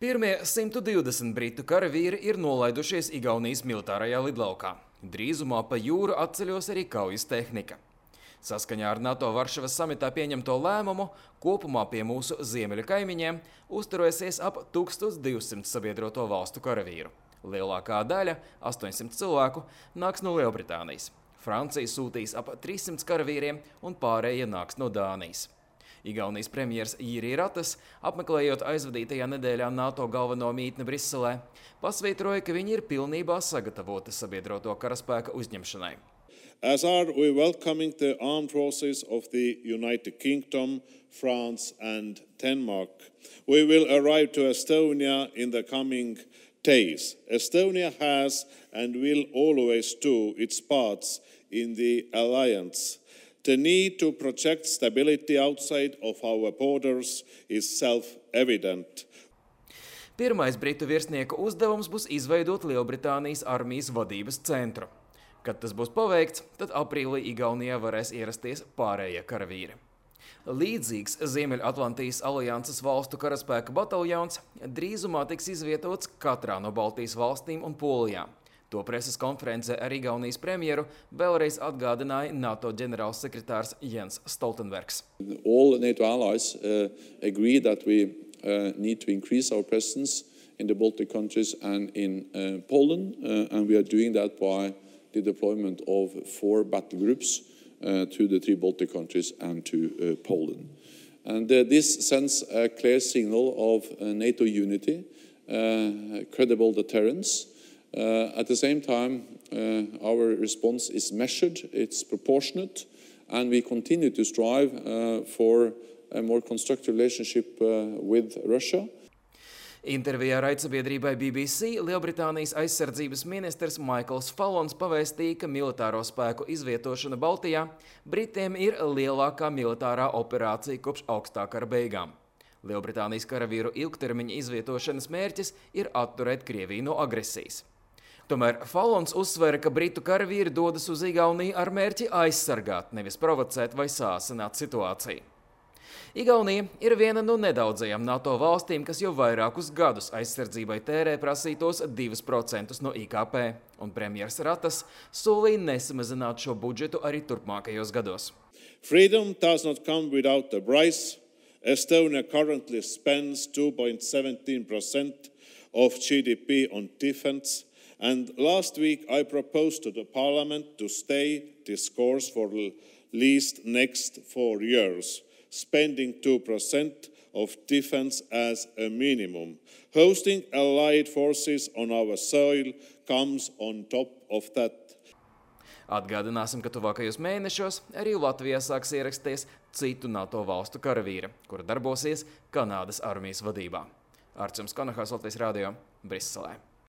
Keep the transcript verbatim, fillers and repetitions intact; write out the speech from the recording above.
Pirmie simt divdesmit britu karavīri ir nolaidušies Igaunijas militārajā lidlaukā. Drīzumā pa jūru atceļos arī kaujas tehnika. Saskaņā ar NATO Varšavas samitā pieņemto lēmumu, kopumā pie mūsu ziemeļu kaimiņiem uzturēsies ap tūkstoš divsimt sabiedroto valstu karavīru. Lielākā daļa, astoņsimt cilvēku, nāks no Lielbritānijas. Francija sūtīs ap trīssimts karavīriem un pārējie nāks no Dānijas. Igaunijas premjers Jiri Ratas, apmeklējot aizvadītajā nedēļā NATO galveno mītni Briselē, pasvītroja, ka viņi ir pilnībā sagatavoti sabiedroto karaspēka uzņemšanai. As are we welcoming the armed forces of the United Kingdom, France and Denmark. We will arrive to Estonia in the coming days. Estonia has and will always do its parts in the alliance. The need to project stability outside of our borders is self-evident. Pirmais britu virsnieku uzdevums būs izveidot Lielbritānijas armijas vadības centru. Kad tas būs paveikts, tad aprīlī Igaunijā varēs ierasties pārējie karavīri. Līdzīgs Ziemeļatlantijas alianses valstu karaspēka bataljons drīzumā tiks izvietots katrā no Baltijas valstīm un Polijā. To preses konferencē ar Igaunijas premjeru vēlreiz atgādināja NATO ģenerālsekretārs Jens Stoltenbergs. All NATO allies uh, agree that we uh, need to increase our presence in the Baltic countries and in uh, Poland, uh, and we are doing that by the deployment of four battle groups uh, to the three Baltic countries and to uh, Poland. And uh, this sends a clear signal of uh, NATO unity, uh, credible deterrence. Uh, at the same time, uh, our response is measured, it's proportionate, and we continue to strive uh, for a more constructive relationship uh, with Russia. Intervijā raidsabiedrībai B B C Lielbritānijas aizsardzības ministrs Michaels Fallons pavēstīja, ka militāro spēku izvietošana Baltijā Britiem ir lielākā militārā operācija kopš augstā kara beigām. Lielbritānijas karavīru ilgtermiņa izvietošanas mērķis ir atturēt Krieviju no agresijas. Tomēr Fallons uzsvera, ka britu karavīri dodas uz Igauniju ar mērķi aizsargāt, nevis provocēt vai sāsināt situāciju. Igaunija ir viena no nedaudzajām NATO valstīm, kas jau vairākus gadus aizsardzībai tērē prasītos divus procentus no I K P, un premjers Ratas solīja nesamazināt šo budžetu arī turpmākajos gados. Freedom does not come without a price. Estonia currently spends two point one seven percent of G D P on defense. And last week I proposed to the Parliament to stay this course for at least next four years, spending two percent of defense as a minimum. Hosting allied forces on our soil comes on top of that. Atgādināsim, ka tuvākajos mēnešos arī Latvijā sāks ierasties citu NATO valstu karavīri, kura darbosies Kanādas armijas vadībā. Arčuns Konahās, Latvijas radio, Briselē.